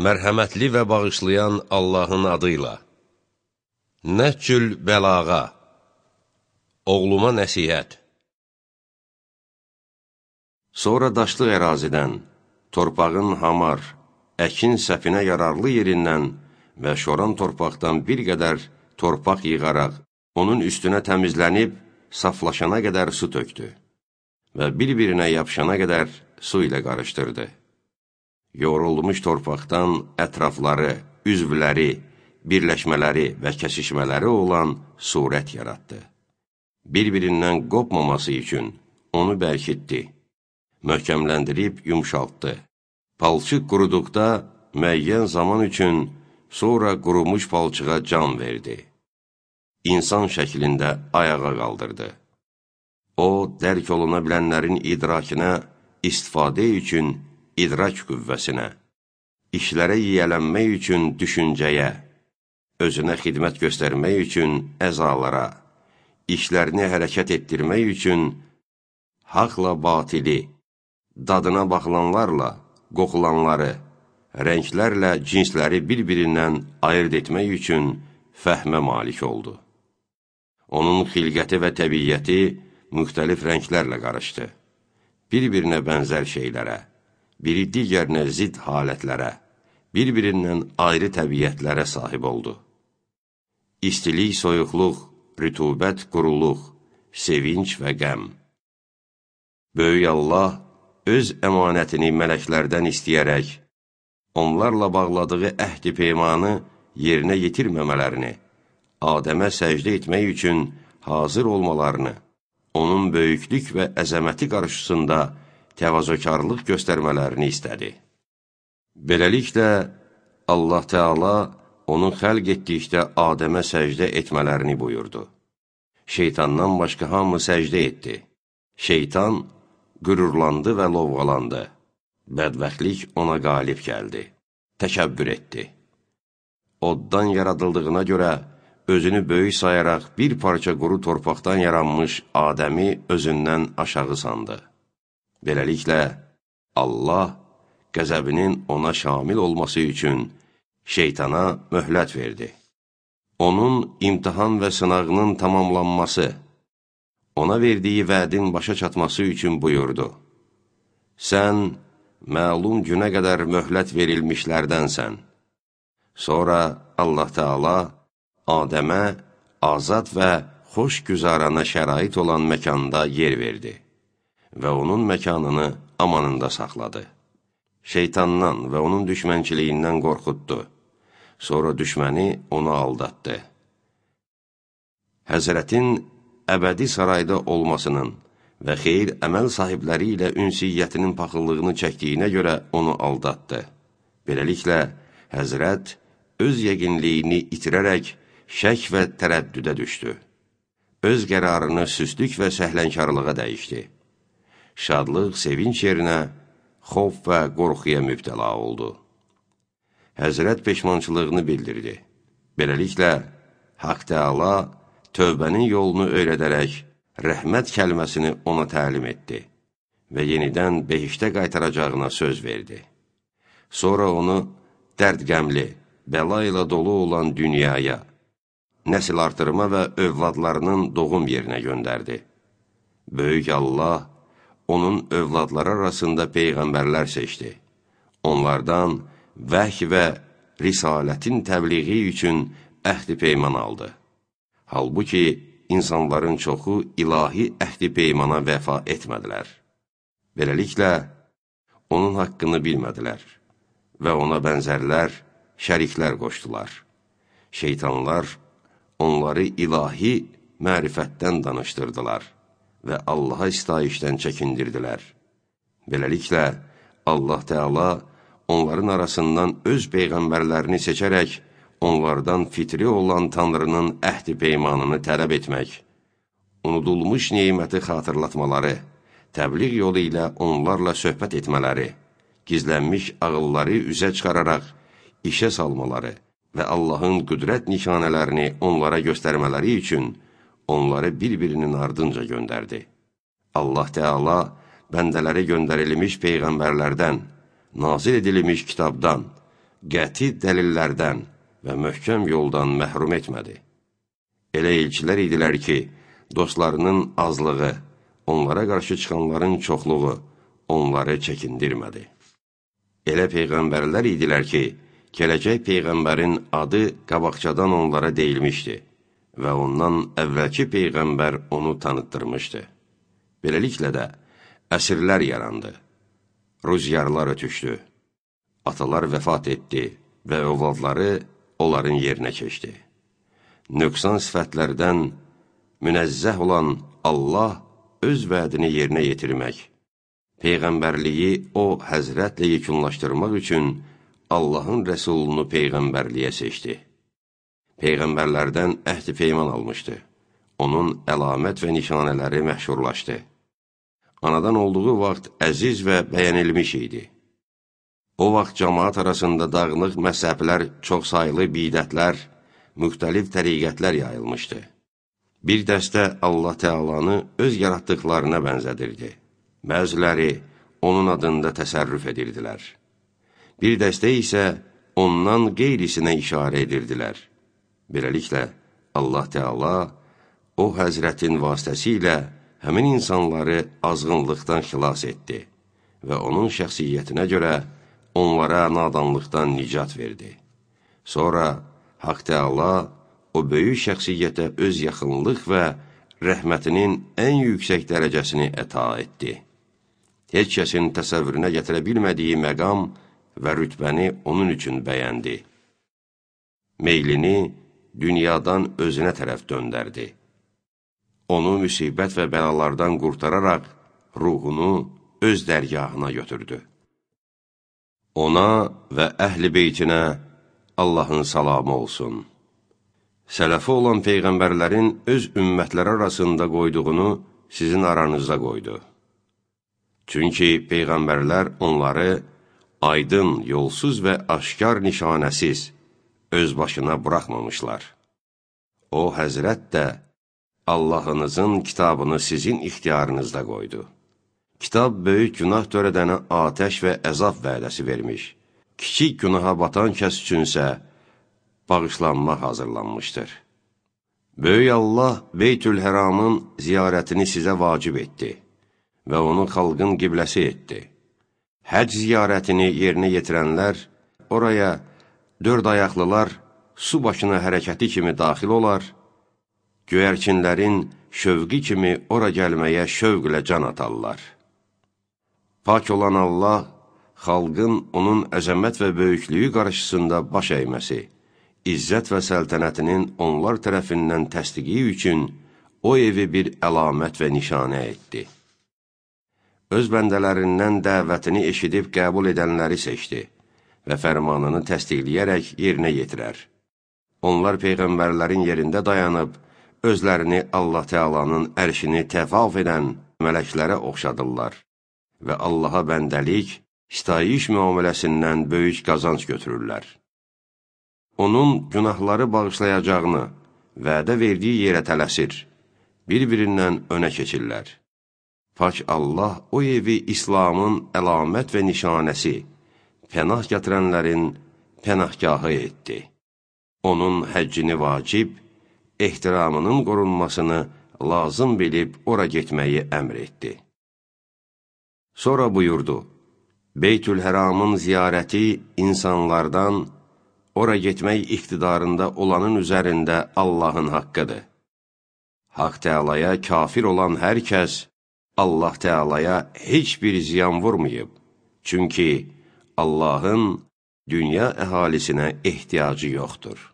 Mərhəmətli və bağışlayan Allahın adıyla. Nəhcül bəlağa. Oğluma nəsihət. Sonra daşlı ərazidən, torpağın hamar, əkin səpinə yararlı yerindən və şoran torpaqdan bir qədər torpaq yığaraq, onun üstünə təmizlənib, saflaşana qədər su tökdü və bir-birinə yapışana qədər su ilə qarışdırdı. Yoğrulmuş torpaqdan ətrafları, üzvləri, birləşmələri və kəsişmələri olan surət yaratdı. Bir-birindən qopmaması üçün onu bərkitdi, möhkəmləndirib yumşaltdı. Palçıq quruduqda müəyyən zaman üçün sonra qurumuş palçığa can verdi. İnsan şəklində ayağa qaldırdı. O, dərk oluna bilənlərin idrakinə istifadə üçün idrak qüvvəsinə, işlərə yiyələnmək üçün düşüncəyə, özünə xidmət göstərmək üçün əzalara, işlərini hərəkət etdirmək üçün haqla batili, dadına baxılanlarla qoxulanları, rənglərlə cinsləri bir-birindən ayırt etmək üçün fəhmə malik oldu. Onun xilqəti və təbiyyəti müxtəlif rənglərlə qarışdı. Bir-birinə bənzər şeylərə, biri digərinə zid halətlərə, bir-birindən ayrı təbiyyətlərə sahib oldu. İstilik, soyuqluq, rütubət, quruluq, sevinç və qəm. Böyük Allah öz əmanətini mələklərdən istəyərək, onlarla bağladığı əhd-i peymanı yerinə yetirməmələrini, Adəmə səcdə etmək üçün hazır olmalarını, onun böyüklük və əzəməti qarşısında təvazökarlıq göstərmələrini istədi. Beləliklə, Allah Teala onu xəlq etdikdə Adəmə səcdə etmələrini buyurdu. Şeytandan başqa hamı səcdə etdi. Şeytan qürurlandı və lovğalandı. Bədbəxtlik ona qalib gəldi. Təkəbbür etdi. Oddan yaradıldığına görə özünü böyük sayaraq bir parça quru torpaqdan yaranmış Adəmi özündən aşağı sandı. Beləliklə, Allah qəzəbinin ona şamil olması üçün şeytana möhlət verdi. Onun imtihan və sınağının tamamlanması, ona verdiyi vədin başa çatması üçün buyurdu. Sən məlum günə qədər möhlət verilmişlərdənsən. Sonra Allah Teala Adəmə azad və xoş güzarana şərait olan məkanda yer verdi və onun məkanını amanında saxladı. Şeytandan və onun düşmənçiliyindən qorxutdu. Sonra düşməni onu aldatdı. Həzrətin əbədi sarayda olmasının və xeyir əməl sahibləri ilə ünsiyyətinin paxıllığını çəkdiyinə görə onu aldatdı. Beləliklə, Həzrət öz yəqinliyini itirərək şək və tərəddüdə düşdü. Öz qərarını süstlük və səhlənkarlığa dəyişdi. Şadlıq, sevinç yerinə xof və qorxuya mübtəla oldu. Həzrət peşmançılığını bildirdi. Beləliklə, Haqq Teala tövbənin yolunu öyrədərək rəhmət kəlməsini ona təlim etdi və yenidən behiştə qaytaracağına söz verdi. Sonra onu dərd-qəmli, bəla ilə dolu olan dünyaya, nəsil artırma və övladlarının doğum yerinə göndərdi. Böyük Allah onun övladları arasında peyğəmbərlər seçdi. Onlardan vəhy və risalətin təbliği üçün əhd-i peyman aldı. Halbuki insanların çoxu ilahi əhd-i peymana vəfa etmədilər. Beləliklə, onun haqqını bilmədilər və ona bənzərlər, şəriklər qoşdular. Şeytanlar onları ilahi mərifətdən danışdırdılar və Allaha istayişdən çəkindirdilər. Beləliklə, Allah Teala onların arasından öz peyğəmbərlərini seçərək, onlardan fitri olan Tanrının əhd-i peymanını tələb etmək, unudulmuş neməti xatırlatmaları, təbliğ yolu ilə onlarla söhbət etmələri, gizlənmiş ağılları üzə çıxararaq işə salmaları və Allahın qüdrət nişanələrini onlara göstərmələri üçün onları bir-birinin ardınca göndərdi. Allah Teala bəndələri göndərilmiş peyğəmbərlərdən, nazil edilmiş kitabdan, qəti dəlillərdən və möhkəm yoldan məhrum etmədi. Elə elçilər idilər ki, dostlarının azlığı, onlara qarşı çıxanların çoxluğu onları çəkindirmədi. Elə peyğəmbərlər idilər ki, gələcək peyğəmbərin adı qabaqcadan onlara deyilmişdi və ondan əvvəlki peyğəmbər onu tanıtdırmışdı. Beləliklə də əsrlər yarandı, rüzgarlar ötüşdü, atalar vəfat etdi və övladları onların yerinə keçdi. Nöqsan sifətlərdən münəzzəh olan Allah öz vədini yerinə yetirmək, peyğəmbərliyi o həzrətlə yekunlaşdırmaq üçün Allahın rəsulunu peyğəmbərliyə seçdi. Peyğəmbərlərdən əhd-i peyman almışdı. Onun əlamət və nişanələri məşhurlaşdı. Anadan olduğu vaxt əziz və bəyənilmiş idi. O vaxt cəmaat arasında dağınıq məzhəblər, çoxsaylı bidətlər, müxtəlif təriqətlər yayılmışdı. Bir dəstə Allah Tealanı öz yaratdıqlarına bənzədirdi. Bəziləri onun adında təsərrüf edirdilər. Bir dəstə isə ondan qeyrisinə işarə edirdilər. Beləliklə, Allah Teala o həzrətin vasitəsilə həmin insanları azğınlıqdan xilas etdi və onun şəxsiyyətinə görə onlara nadanlıqdan nicat verdi. Sonra Haqq Teala o böyük şəxsiyyətə öz yaxınlıq və rəhmətinin ən yüksək dərəcəsini əta etdi. Heç kəsin təsəvvürünə gətirə bilmədiyi məqam və rütbəni onun üçün bəyəndi. Meylini dünyadan özünə tərəf döndərdi. Onu müsibət və bəlalardan qurtararaq ruhunu öz dərgahına götürdü. Ona və əhl-i beytinə Allahın salamı olsun. Sələfi olan peyğəmbərlərin öz ümmətləri arasında qoyduğunu sizin aranızda qoydu. Çünki peyğəmbərlər onları aydın, yolsuz və aşkar nişanəsiz öz başına buraxmamışlar. O, həzrət də Allahınızın kitabını sizin ixtiyarınızda qoydu. Kitab böyük günah törədənə atəş və əzab vədəsi vermiş. Kiçik günaha batan kəs üçünsə bağışlanma hazırlanmışdır. Böyük Allah Beytül-Həramın ziyarətini sizə vacib etdi və onu xalqın qibləsi etdi. Həc ziyarətini yerinə yetirənlər oraya dörd ayaqlılar su başına hərəkəti kimi daxil olar, göyərçinlərin şövqi kimi ora gəlməyə şövqlə can atarlar. Pak olan Allah, xalqın onun əzəmət və böyüklüyü qarşısında baş əyməsi, izzət və səltənətinin onlar tərəfindən təsdiqi üçün o evi bir əlamət və nişanə etdi. Öz bəndələrindən dəvətini eşidib qəbul edənləri seçdi və fərmanını təsdiqləyərək yerinə yetirər. Onlar peyğəmbərlərin yerində dayanıb, özlərini Allah Teala'nın ərşini təvaf edən mələklərə oxşadırlar və Allaha bəndəlik, sitayiş müamiləsindən böyük qazanc götürürlər. Onun günahları bağışlayacağını vədə verdiyi yerə tələsir, bir-birindən önə keçirlər. Pak Allah o evi İslamın əlamət və nişanəsi, pənah gətirənlərin pənahgahı etdi. Onun həccini vacib, ehtiramının qorunmasını lazım bilib ora getməyi əmr etdi. Sonra buyurdu, Beytül-Həramın ziyarəti insanlardan ora getmək iqtidarında olanın üzərində Allahın haqqıdır. Haqq Teala'ya kafir olan hər kəs Allah Teala'ya heç bir ziyan vurmayıb. Çünki Allahın dünya əhalisinə ehtiyacı yoxdur.